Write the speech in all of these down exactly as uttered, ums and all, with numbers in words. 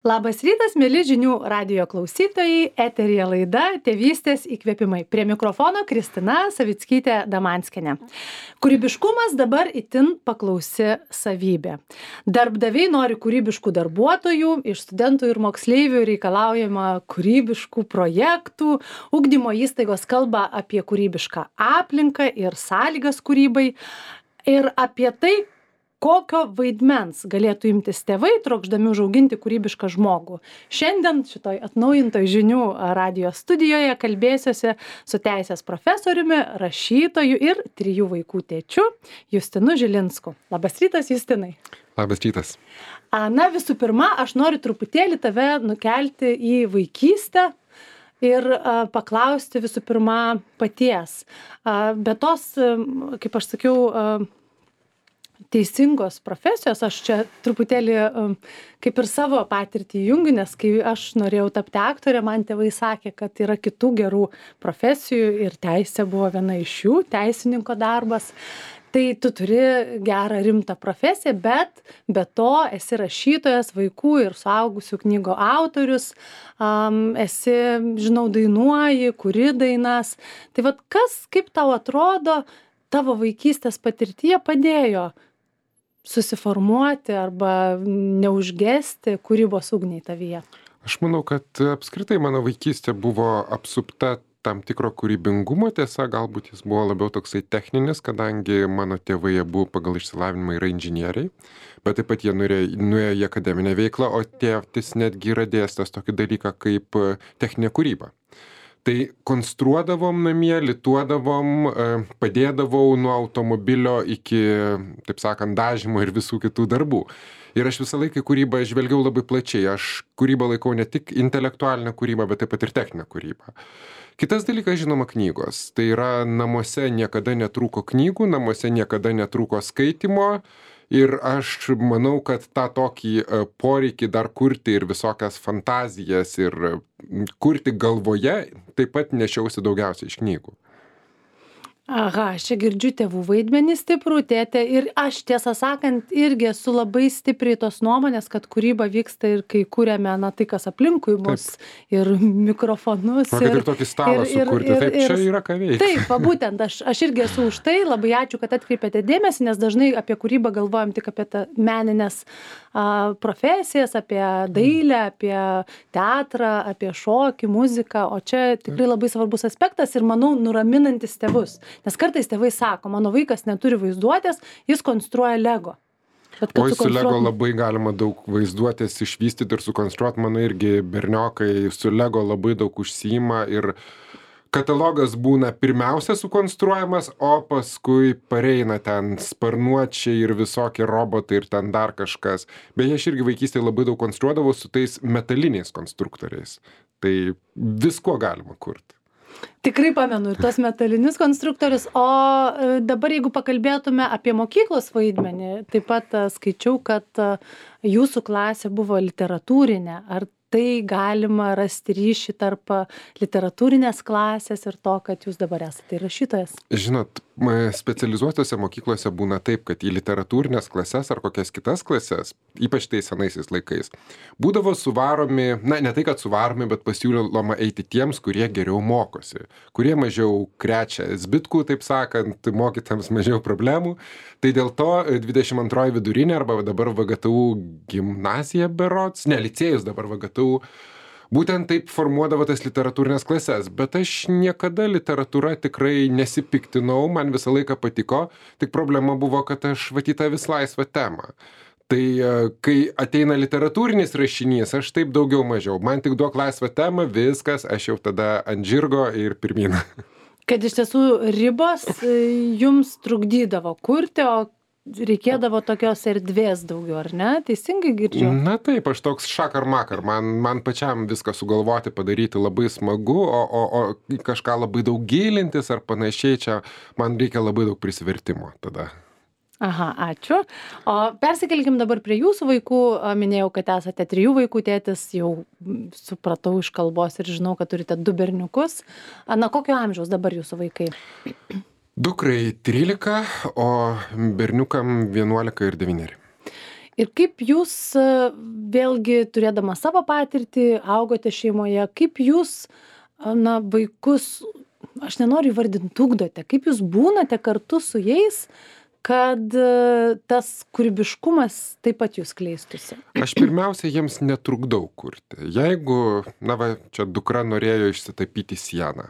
Labas rytas, mėly žinių radijo klausytojai, eteryje laida Tėvystės įkvėpimai. Prie mikrofono Kristina Savickytė Damanskienė. Kūrybiškumas dabar itin paklausi savybė. Darbdaviai nori kūrybiškų darbuotojų, iš studentų ir moksleivių reikalaujama kūrybiškų projektų, ugdymo įstaigos kalba apie kūrybišką aplinką ir sąlygas kūrybai ir apie tai, kokio vaidmens galėtų imtis tėvai, trokšdami užauginti kūrybišką žmogų. Šiandien šitoj atnaujintoj žinių radijo studijoje kalbėsiuosi su teisės profesoriumi, rašytoju ir trijų vaikų tėčiu Justinu Žilinsku. Labas rytas, Justinai. Labas rytas. Na, visų pirma, aš noriu truputėlį tave nukelti į vaikystę ir a, paklausti visų pirma paties. A, be tos, kaip aš sakiau, a, teisingos profesijos, aš čia truputėlį kaip ir savo patirtį jungiu, nes kai aš norėjau tapti aktorė, man tėvai sakė, kad yra kitų gerų profesijų ir teisė buvo viena iš jų, teisininko darbas. Tai tu turi gerą rimtą profesiją, bet be to esi rašytojas, vaikų ir suaugusių knygų autorius, um, esi, žinau, dainuoji, kuri dainas. Tai vat kas, kaip tau atrodo, tavo vaikystės patirtyje padėjo susiformuoti arba neužgesti kūrybos ugniai tavyje? Aš manau, kad apskritai mano vaikystė buvo apsupta tam tikro kūrybingumo, tiesa, galbūt jis buvo labiau toksai techninis, kadangi mano tėvai abu pagal išsilavinimą yra inžinieriai, bet taip pat jie nuėjo, nuėjo į akademinę veiklą, o tėtis netgi yra dėstęs tokį dalyką kaip techninė kūryba. Tai konstruodavom namie, lituodavom, padėdavau nuo automobilio iki, taip sakant, dažymo ir visų kitų darbų. Ir aš visą laiką kūrybą žvelgiau labai plačiai. Aš kūrybą laikau ne tik intelektualinę kūrybą, bet taip pat ir techninę kūrybą. Kitas dalykas, žinoma, knygos. Tai yra, namuose niekada netrūko knygų, namuose niekada netrūko skaitimo. Ir aš manau, kad tą tokį poreikį dar kurti ir visokias fantazijas ir kurti galvoje taip pat nešiausi daugiausiai iš knygų. Aha, aš čia girdžiu tėvų vaidmenį stiprų, tėtė, ir aš tiesą sakant irgi esu labai stipriai tos nuomonės, kad kūryba vyksta ir kai kūrėme, na, tai kas aplinkui mus, taip. Ir mikrofonus. Man, kad ir, ir tokį stalą ir, sukurti, ir, taip ir, čia yra ką veikti. Taip, va, būtent, aš, aš irgi esu už tai, labai ačiū, kad atkreipėte dėmesį, nes dažnai apie kūrybą galvojam tik apie tą meninės a, profesijas, apie dailę, apie teatrą, apie šokį, muziką, o čia tikrai labai svarbus aspektas ir, manau, nuraminantis tėvus. Nes kartais tėvai sako, mano vaikas neturi vaizduotės, jis konstruoja Lego. Bet, Oi, su Lego labai galima daug vaizduotės išvystyti ir sukonstruoti, mano irgi berniokai su Lego labai daug užsiima ir katalogas būna pirmiausia sukonstruojamas, o paskui pareina ten sparnuočiai ir visokie robotai ir ten dar kažkas. Beje, aš irgi vaikystėje labai daug konstruodavau su tais metaliniais konstruktoriais. Tai visko galima kurti. Tikrai pamenu ir tos metalinius konstruktorius, o dabar jeigu pakalbėtume apie mokyklos vaidmenį, taip pat skaičiau, kad jūsų klasė buvo literatūrinė. Ar tai galima rasti ryšį tarp literatūrinės klasės ir to, kad jūs dabar esate rašytojas? Žinot, specializuotose mokyklose būna taip, kad į literatūrinės klases ar kokias kitas klases, ypač tais senaisiais laikais, būdavo suvaromi, na, ne tai, kad suvaromi, bet pasiūloma eiti tiems, kurie geriau mokosi, kurie mažiau krečia zbitkų, taip sakant, mokytams mažiau problemų. Tai dėl to dvidešimt antroji vidurinė arba dabar V G T U gimnazija berods, ne, licėjus dabar V G T U, būtent taip formuodavo tas literatūrinės klases, bet aš niekada literatūra tikrai nesipiktinau, man visą laiką patiko, tik problema buvo, kad aš vatyta vis laisvą temą. Tai kai ateina literatūrinis rašinys, aš taip daugiau mažiau, man tik duok laisvą temą, viskas, aš jau tada ant žirgo ir pirmyn. Kad iš tiesų ribos jums trukdydavo kurti, o reikėdavo tokios erdvės daugiau, ar ne? Teisingai girdžiu? Na taip, aš toks šakar makar, man, man pačiam viską sugalvoti, padaryti labai smagu, o, o, o kažką labai daug gilintis ar panašiai, čia man reikia labai daug prisivertimo tada. Aha, ačiū. O persikelkim dabar prie jūsų vaikų. Minėjau, kad esate trijų vaikų tėtis, jau supratau iš kalbos ir žinau, kad turite du berniukus. Na, kokio amžiaus dabar jūsų vaikai? Dukrai trylika, o berniukam vienuolika ir devyneri. Ir kaip jūs, vėlgi turėdama savo patirtį, augote šeimoje, kaip jūs, na, vaikus, aš nenoriu įvardinti, ugdote, kaip jūs būnate kartu su jais, kad tas kūrybiškumas taip pat jūs kleistųsi? Aš pirmiausia jiems netrukdau kurti. Jeigu, na va, čia dukra norėjo išsitapyti sieną,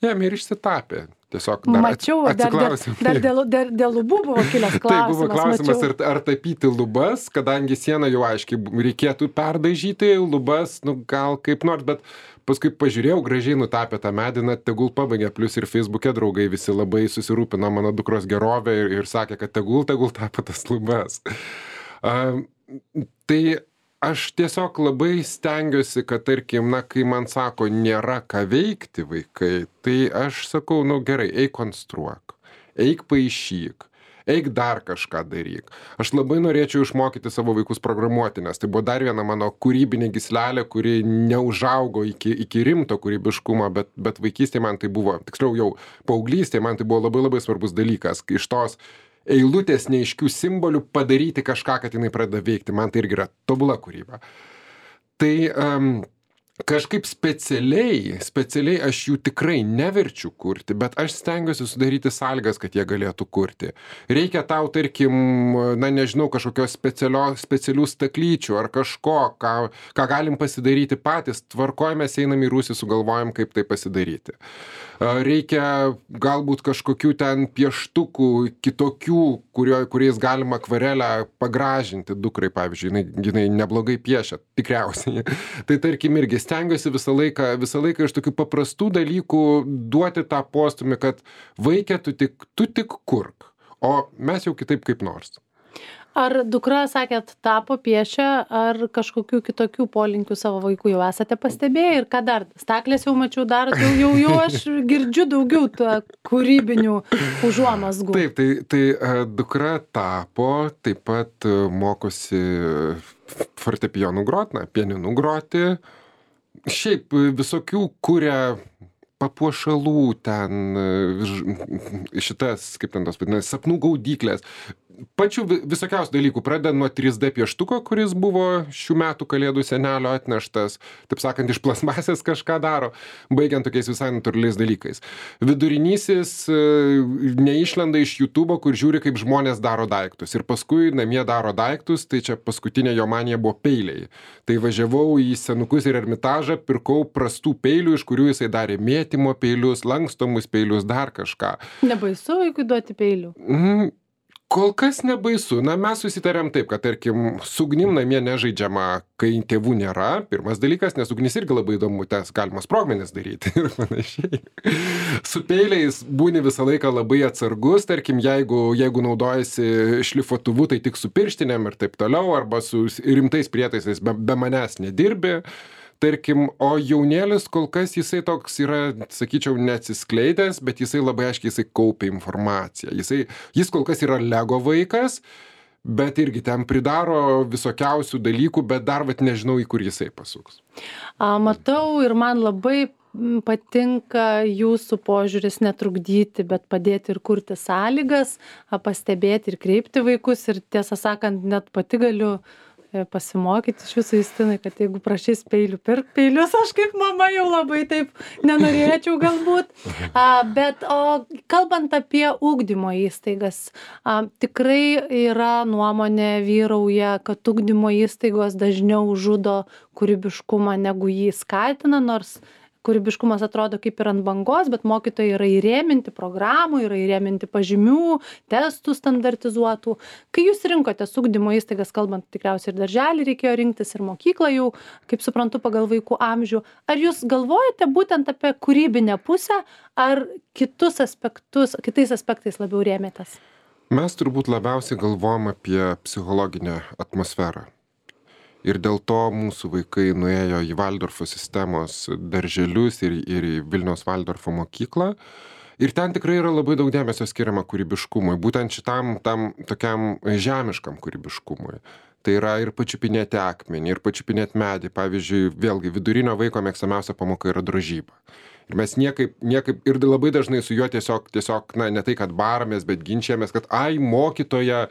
jam ir išsitapė. Tiesiog dar Mačiau, atsiklausim. Dar, dar, dar dėl, dėl lubų buvo kilęs klausimas. Tai buvo klausimas, ar, ar tapyti lubas, kadangi sieną jau aiškiai reikėtų perdažyti, lubas, nu gal kaip nors, bet paskui pažiūrėjau, gražiai nutapė tą mediną, tegul pabaigė, plus ir Facebook'e draugai visi labai susirūpino mano dukros gerovę ir, ir sakė, kad tegul, tegul tapė tas lubas. Uh, tai aš tiesiog labai stengiuosi, kad tarkim, na, kai man sako, nėra ką veikti vaikai, tai aš sakau, nu gerai, eik konstruok, eik paišyk, eik dar kažką daryk. Aš labai norėčiau išmokyti savo vaikus programuoti, nes tai buvo dar viena mano kūrybinė gyslelė, kuri neužaugo iki, iki rimto kūrybiškumo, bet, bet vaikystėje man tai buvo, tiksliau jau paauglystėje man tai buvo labai labai svarbus dalykas, iš tos eilutės neiškių simbolių padaryti kažką, kad jinai pradeda veikti. Man tai irgi yra tobula kūryba. Tai um, kažkaip specialiai, specialiai aš jų tikrai neverčiu kurti, bet aš stengiuosi sudaryti sąlygas, kad jie galėtų kurti. Reikia tau, tarkim, na nežinau, kažkokios specialių staklyčių ar kažko, ką, ką galim pasidaryti patys, tvarkojamės, einam į rūsį, sugalvojam, kaip tai pasidaryti. Reikia galbūt kažkokių ten pieštukų kitokių, kurio, kuriais galima akvarelę pagražinti dukrai, pavyzdžiui, jinai, jinai neblogai piešia, tikriausiai. Tai tarkim irgi stengiuosi visą laiką, visą laiką iš tokių paprastų dalykų duoti tą postumį, kad vaikė, tu tik, tu tik kurk, o mes jau kitaip kaip nors. Ar dukra, sakėt, tapo piešia, ar kažkokių kitokių polinkių savo vaikų jau esate pastebėję ir ką dar? Staklės jau mačiau darot, jau, jau, jau aš girdžiu daugiau tą kūrybinių užuomazgų. Taip, tai, tai dukra tapo, taip pat mokosi fortepijonų groti, na, pianinu groti. Šiaip visokių kuria papuošalų ten, šitas, kaip ten tos vadinasi, sapnų gaudyklės. Pačių visokiausių dalykų, pradedant nuo trys D pieštuko, kuris buvo šių metų kalėdų senelio atneštas, taip sakant, iš plasmasės kažką daro, baigiant tokiais visai natūraliais dalykais. Vidurinysis neišlenda iš YouTube'o, kur žiūri, kaip žmonės daro daiktus. Ir paskui namie daro daiktus, tai čia paskutinė jo manija buvo peiliai. Tai važiavau į senukus ir Ermitažą, pirkau prastų peilių, iš kurių jisai darė mėtymo peilius, lankstomus peilius, dar kažką. Nebaisu vaikui duoti peilių? Mm. Kol kas nebaisu. Na, mes susitarėm taip, kad, tarkim, su ugnim namie nežaidžiama, kai tėvų nėra. Pirmas dalykas, nes ugnis irgi labai įdomu, tas galima sprogmenis daryti ir panašiai. Su peiliais būni visą laiką labai atsargus, tarkim, jeigu, jeigu naudojasi šlifuotuvu, tai tik su pirštinėm ir taip toliau, arba su rimtais prietaisais be, be manęs nedirbi. Tarkim, o jaunėlis kol kas jisai toks yra, sakyčiau, neatsiskleidęs, bet jisai labai aiškiai jisai kaupia informaciją. Jisai, jis kol kas yra Lego vaikas, bet irgi ten pridaro visokiausių dalykų, bet dar vat nežinau, į kur jisai pasuks. A, matau ir man labai patinka jūsų požiūris netrukdyti, bet padėti ir kurti sąlygas, pastebėti ir kreipti vaikus ir tiesą sakant, net pati galiu pasimokyti iš jūsų, Justinai, kad jeigu prašys peilių, pirk peilius, aš kaip mama jau labai taip nenorėčiau galbūt. A, bet o kalbant apie ugdymo įstaigas, a, tikrai yra nuomonė vyrauja, kad ugdymo įstaigos dažniau žudo kūrybiškumą, negu jį skatina, nors kūrybiškumas atrodo kaip ir ant bangos, bet mokytojai yra įrėminti programų, yra įrėminti pažymių, testų standartizuotų. Kai jūs rinkotės ugdymo įstaigas, kalbant tikriausiai ir darželį reikėjo rinktis, ir mokyklą jau, kaip suprantu, pagal vaikų amžių, ar jūs galvojate būtent apie kūrybinę pusę, ar kitus aspektus, kitais aspektais labiau rėmėtės? Mes turbūt labiausiai galvojam apie psichologinę atmosferą. Ir dėl to mūsų vaikai nuėjo į Valdorfo sistemos darželius ir, ir į Vilniaus Valdorfo mokyklą. Ir ten tikrai yra labai daug dėmesio skiriama kūrybiškumui, būtent šitam tam tokiam žemiškam kūrybiškumui. Tai yra ir pačiupinėti akmenį, ir pačiupinėti medį. Pavyzdžiui, vėlgi vidurinio vaiko mėgstamiausia pamoka yra drožyba. Ir mes niekaip, niekaip, ir labai dažnai su juo tiesiog, tiesiog, na, ne tai, kad baramės, bet ginčiamės, kad, ai, mokytoja,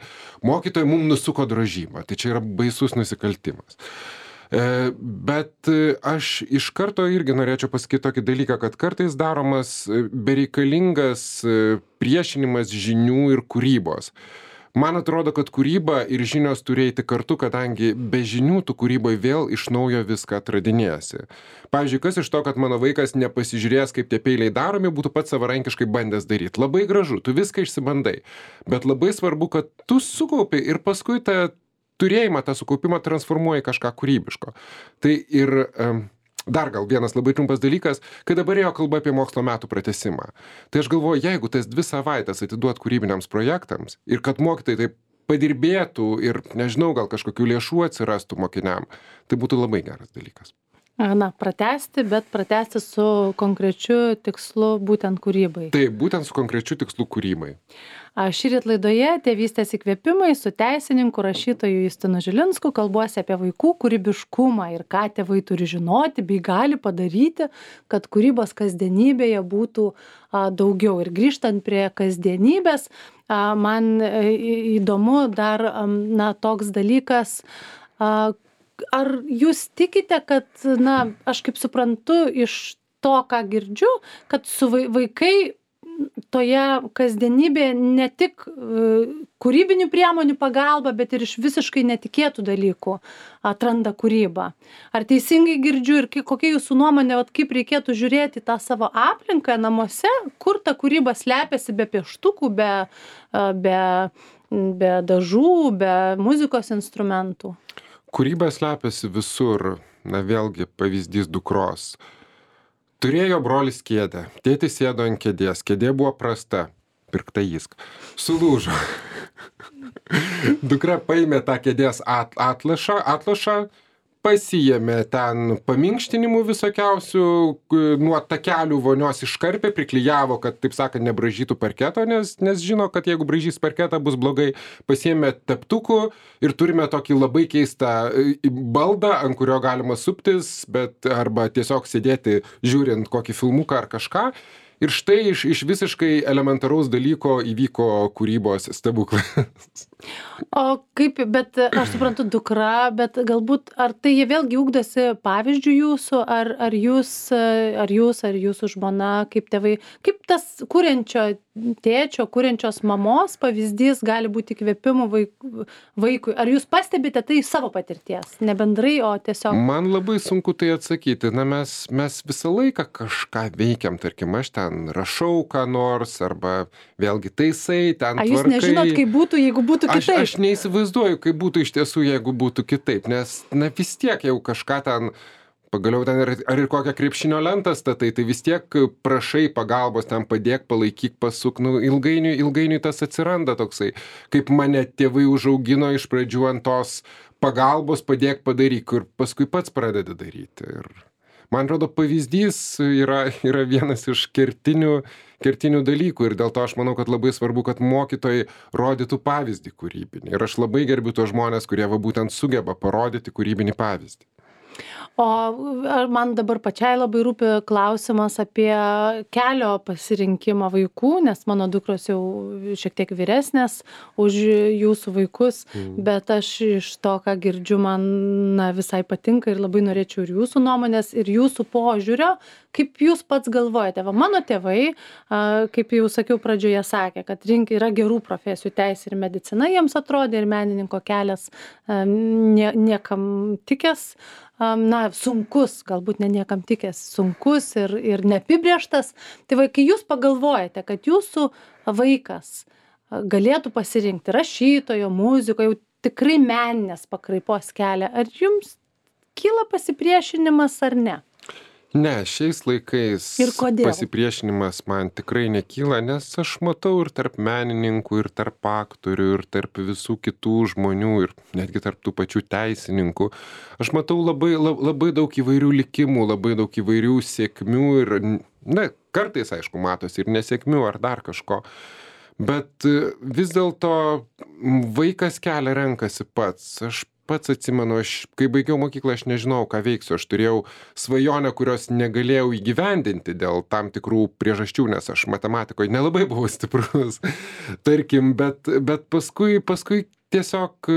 mokytoja mums nusuko drožybą. Tai čia yra baisus nusikaltimas. E, bet aš iš karto irgi norėčiau pasakyti tokį dalyką, kad kartais daromas bereikalingas priešinimas žinių ir kūrybos. Man atrodo, kad kūryba ir žinios turi eiti kartu, kadangi be žinių tu kūryboje vėl iš naujo viską atradinėsi. Pavyzdžiui, kas iš to, kad mano vaikas nepasižiūrės, kaip tie peiliai daromi, būtų pats savarankiškai bandęs daryti. Labai gražu, tu viską išsibandai. Bet labai svarbu, kad tu sukaupi ir paskui tą turėjimą, tą sukaupimą transformuoji kažką kūrybiško. Tai ir... Um, Dar gal vienas labai trumpas dalykas, kai dabar ėjo kalba apie mokslo metų pratęsimą. Tai aš galvoju, jeigu tas dvi savaitės atiduot kūrybiniams projektams ir kad mokytojai taip padirbėtų ir, nežinau, gal kažkokių lėšų atsirastų mokiniam, tai būtų labai geras dalykas. Na, pratęsti, bet pratęsti su konkrečiu tikslu būtent kūrybai. Tai būtent su konkrečiu tikslu kūrybai. Šįryt laidoje Tėvystės įkvėpimai su teisininku rašytoju Justinu Žilinsku kalbuosi apie vaikų kūrybiškumą ir ką tėvai turi žinoti bei gali padaryti, kad kūrybos kasdienybėje būtų a, daugiau. Ir grįžtant prie kasdienybės, a, man įdomu dar a, na, toks dalykas, a, ar jūs tikite, kad, na, aš kaip suprantu iš to, ką girdžiu, kad su vaikai toje kasdienybėje ne tik kūrybinių priemonių pagalba, bet ir iš visiškai netikėtų dalykų atranda kūrybą. Ar teisingai girdžiu ir kokia jūsų nuomonė, vat, kaip reikėtų žiūrėti tą savo aplinką namuose, kur ta kūryba slepiasi be pieštukų, be, be, be dažų, be muzikos instrumentų? Kūryba slepiasi visur. Na vėlgi pavyzdys dukros. Turėjo brolis kėdę, tėtis sėdo ant kėdės, kėdė buvo prasta, pirkta jisk, sulūžo. Dukra paėmė tą kėdės at, atlašą, atlašą, pasiėmė ten paminkštinimų visokiausių, nuo takelių vonios iškarpė, priklijavo, kad, taip sakant, nebražytų parketo, nes, nes žino, kad jeigu bražys parketą bus blogai, pasiėmė teptukų ir turime tokį labai keistą baldą, ant kurio galima suptis, bet arba tiesiog sėdėti žiūrint kokį filmuką ar kažką. Ir štai iš, iš visiškai elementaraus dalyko įvyko kūrybos stebuklas. O kaip, bet aš suprantu dukra, bet galbūt ar tai jie vėlgi ugdosi pavyzdžių jūsų, ar, ar, jūs, ar jūs, ar jūsų žmona, kaip tėvai, kaip tas kuriančio tėčio, kuriančios mamos pavyzdys gali būti įkvėpimu vaikui? Ar jūs pastebite tai savo patirties, ne bendrai, o tiesiog? Man labai sunku tai atsakyti. Na, mes, mes visą laiką kažką veikiam, tarkim, aš ten rašau ką nors, arba vėlgi taisai, ten tvarkai. A, jūs nežinot, kaip būtų, jeigu būtų kitaip? Aš, aš neįsivaizduoju, kaip būtų iš tiesų, jeigu būtų kitaip, nes, na, vis tiek jau kažką ten... Pagaliau ten ar, ar ir kokią krepšinio lentą statai, tai vis tiek prašai pagalbos, ten padėk, palaikyk, pasuk, nu, ilgainiui, ilgainiui tas atsiranda toksai, kaip mane tėvai užaugino iš pradžių ant tos pagalbos, padėk, padaryk, ir paskui pats pradedi daryti. Ir man atrodo, pavyzdys yra, yra vienas iš kertinių, kertinių dalykų ir dėl to aš manau, kad labai svarbu, kad mokytojai rodytų pavyzdį kūrybinį. Ir aš labai gerbiu tos žmonės, kurie va būtent sugeba parodyti kūrybinį pavyzdį. O man dabar pačiai labai rūpi klausimas apie kelio pasirinkimą vaikų, nes mano dukros jau šiek tiek vyresnės už jūsų vaikus, mm. bet aš iš to, ką girdžiu, man na, visai patinka ir labai norėčiau ir jūsų nuomonės, ir jūsų požiūrio, kaip jūs pats galvojate. Va, mano tėvai, kaip jau sakiau pradžioje, sakė, kad rink yra gerų profesijų, teisė ir medicina jiems atrodė ir menininko kelias nie, niekam tikęs. Na, sunkus, galbūt ne niekam tikęs, sunkus ir, ir neapibrėžtas. Tai va, kai jūs pagalvojate, kad jūsų vaikas galėtų pasirinkti rašytojo, muziko, jau tikrai meninės pakraipos kelią, ar jums kyla pasipriešinimas ar ne? Ne, šiais laikais pasipriešinimas man tikrai nekyla, nes aš matau ir tarp menininkų, ir tarp aktorių, ir tarp visų kitų žmonių, ir netgi tarp tų pačių teisininkų. Aš matau labai, labai daug įvairių likimų, labai daug įvairių sėkmių ir, na, kartais, aišku, matosi ir nesėkmių ar dar kažko. Bet vis dėlto vaikas kelią renkasi pats. Aš pats atsimenu, aš, kai baigiau mokyklą, aš nežinau, ką veiksiu. Aš turėjau svajonę, kurios negalėjau įgyvendinti dėl tam tikrų priežasčių, nes aš matematikoje nelabai buvau stiprus, tarkim, bet, bet paskui, paskui tiesiog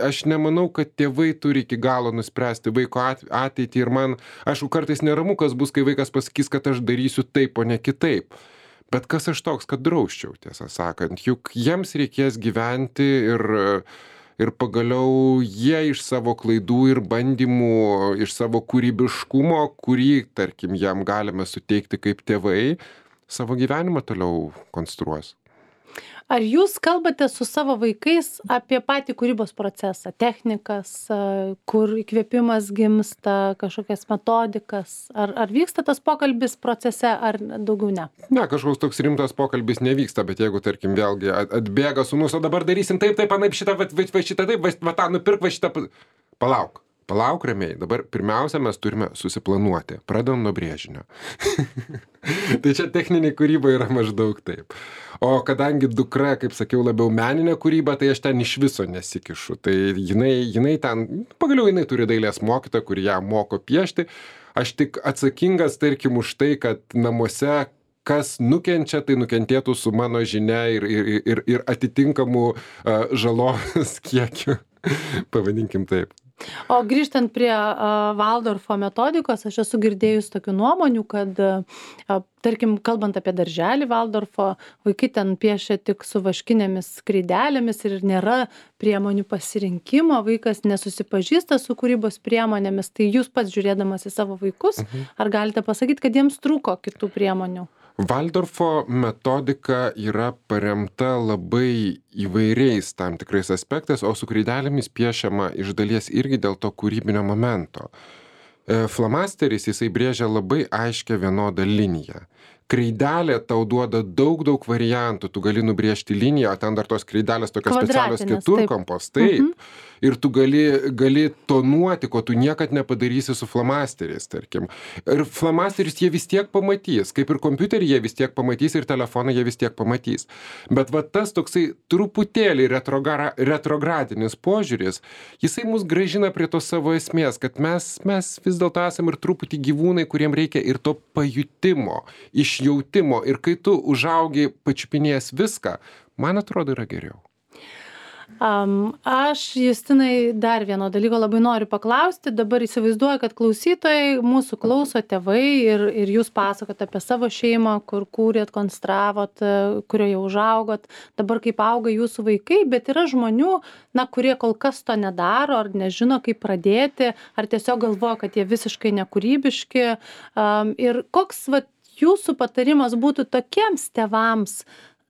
aš nemanau, kad tėvai turi iki galo nuspręsti vaiko ateitį ir man, aišku, kartais neramu, kas bus, kai vaikas pasakys, kad aš darysiu taip, o ne kitaip. Bet kas aš toks, kad drausčiau, tiesą sakant, juk jiems reikės gyventi ir, ir pagaliau jie iš savo klaidų ir bandymų, iš savo kūrybiškumo, kurį, tarkim, jam galime suteikti kaip tėvai, savo gyvenimą toliau konstruos. Ar jūs kalbate su savo vaikais apie patį kūrybos procesą, technikas, kur įkvėpimas gimsta, kažkokias metodikas? Ar, ar vyksta tas pokalbis procese, ar daugiau ne? Ne, kažkoks toks rimtas pokalbis nevyksta, bet jeigu, tarkim, vėlgi atbėga sūnus, o dabar darysim taip, taip, anaip šitą, va, va, šitą taip, va, va tą nupirk, va šitą... Palauk. Palauk ramiai, dabar pirmiausia mes turime susiplanuoti, pradedam nuo brėžinio. Tai čia techninė kūryba yra maždaug taip. O kadangi dukra, kaip sakiau, labiau meninė kūryba, tai aš ten iš viso nesikišu. Tai jinai, jinai ten, pagaliau jinai turi dailės mokytoją, kuri ją moko piešti. Aš tik atsakingas, tarkim, už tai, kad namuose kas nukenčia, tai nukentėtų su mano žinia ir, ir, ir, ir atitinkamų uh, žalos kiekiu. Pavadinkim taip. O grįžtant prie uh, Valdorfo metodikos, aš esu girdėjus tokių nuomonių, kad, uh, tarkim, kalbant apie darželį Valdorfo, vaikai ten piešia tik su vaškinėmis kreidelėmis ir nėra priemonių pasirinkimo, vaikas nesusipažįsta su kūrybos priemonėmis. Tai jūs pats žiūrėdamas į savo vaikus, mhm. ar galite pasakyti, kad jiems trūko kitų priemonių? Valdorfo metodika yra paremta labai įvairiais tam tikrais aspektais, o su kreidelėmis piešiama iš dalies irgi dėl to kūrybinio momento. Flamasteris jisai brėžia labai aiškę vienodą liniją. Kreidelė tau duoda daug, daug variantų, tu gali nubrėžti liniją, o ten dar tos kreidelės tokios specialios keturkampos, taip. Mhm. Ir tu gali, gali tonuoti, ko tu niekad nepadarysi su flamasteriais, tarkim. Ir flamasteris jie vis tiek pamatys, kaip ir kompiuterį jie vis tiek pamatys ir telefoną jie vis tiek pamatys. Bet va tas toksai truputėlį retrogra, retrogradinis požiūris, jisai mus grąžina prie tos savo esmės, kad mes, mes vis dėlto esam ir truputį gyvūnai, kuriem reikia ir to pajutimo, išjautimo. Ir kai tu užaugi pačiupinėjęs viską, man atrodo yra geriau. Um, aš, Justinai, dar vieno dalyko labai noriu paklausti. Dabar įsivaizduoju, kad klausytojai mūsų klauso tėvai ir, ir jūs pasakot apie savo šeimą, kur kūrėt, konstravot, kurioje užaugot. Dabar kaip auga jūsų vaikai, bet yra žmonių, na, kurie kol kas to nedaro, ar nežino, kaip pradėti, ar tiesiog galvoja, kad jie visiškai nekūrybiški. Um, ir koks, va, jūsų patarimas būtų tokiems tėvams,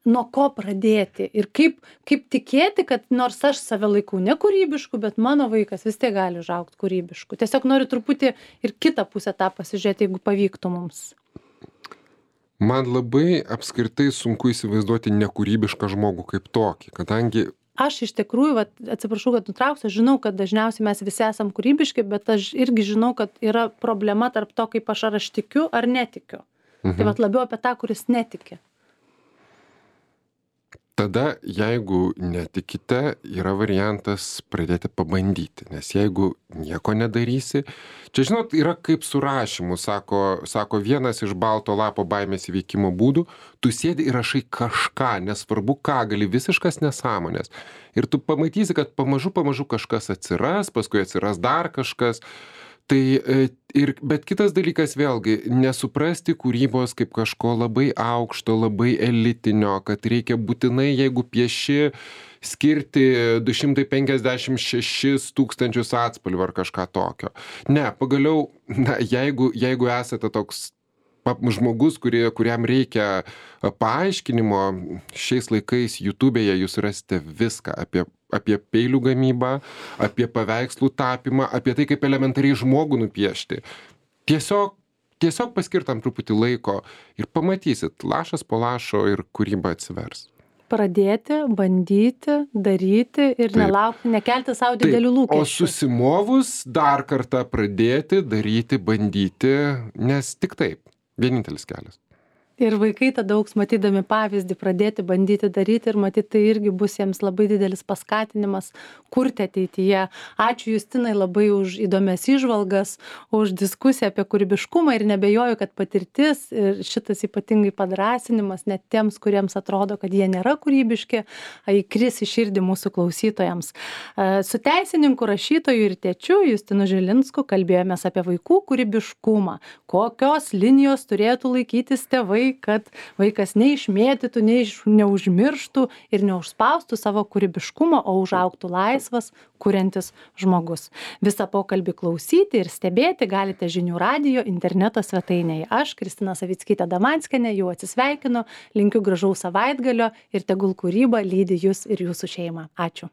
nuo ko pradėti ir kaip, kaip tikėti, kad nors aš save laikau nekūrybišku, bet mano vaikas vis tiek gali užaugti kūrybišku. Tiesiog noriu truputį ir kitą pusę tą pasižiūrėti, jeigu pavyktų mums. Man labai apskritai sunku įsivaizduoti nekūrybišką žmogų kaip tokį, kadangi Aš iš tikrųjų, va, atsiprašau, kad nutrauksiu, žinau, kad dažniausiai mes visi esam kūrybiški, bet aš irgi žinau, kad yra problema tarp to, kaip aš ar aš tikiu, ar netikiu. Mhm. Tai va, labiau apie tą, kuris netiki. Tada, jeigu netikite, yra variantas pradėti pabandyti, nes jeigu nieko nedarysi, čia, žinot, yra kaip su rašymu, sako, sako vienas iš balto lapo baimės įveikimo būdų, tu sėdi ir rašai kažką, nesvarbu ką, gali visiškas nesąmonės. Ir tu pamatysi, kad pamažu, pamažu kažkas atsiras, paskui atsiras dar kažkas. Tai ir, bet kitas dalykas vėlgi, nesuprasti kūrybos kaip kažko labai aukšto, labai elitinio, kad reikia būtinai, jeigu pieši, skirti du šimtai penkiasdešimt šešis tūkstančius atspalvių ar kažką tokio. Ne, pagaliau, na, jeigu, jeigu esate toks žmogus, kurie, kuriam reikia paaiškinimo, šiais laikais YouTube'e jūs rasite viską apie, apie peilių gamybą, apie paveikslų tapymą, apie tai, kaip elementariai žmogų nupiešti. Tiesiog, tiesiog paskirtam truputį laiko ir pamatysit, lašas po lašo ir kūryba atsivers. Pradėti, bandyti, daryti ir Taip. Nelaukti, nekelti savo didelių lūkesčių. O susimovus dar kartą pradėti, daryti, bandyti, nes tik taip. Vienintelis kelias. Ir vaikai tada augs matydami pavyzdį, pradėti bandyti daryti ir matyti, tai irgi bus jiems labai didelis paskatinimas kurti ateityje. Ačiū Justinai labai už įdomias įžvalgas, už diskusiją apie kūrybiškumą ir nebejoju, kad patirtis ir šitas ypatingai padrasinimas net tiems, kuriems atrodo, kad jie nėra kūrybiški, įkris į širdį mūsų klausytojams. Su teisininku, rašytoju ir tėčiu Justinu Žilinsku kalbėjomės apie vaikų kūrybiškumą, kokios linijos turėtų laikytis tėvai, kad vaikas neišmėtytų, neiš, neužmirštų ir neužspaustų savo kūrybiškumo, o užaugtų laisvas, kuriantis žmogus. Visą pokalbį klausyti ir stebėti galite Žinių radijo interneto svetainėje. Aš, Kristina Savickytė Damanskienė, jau atsisveikinu, linkiu gražaus savaitgalio ir tegul kūryba lydi jūs ir jūsų šeimą. Ačiū.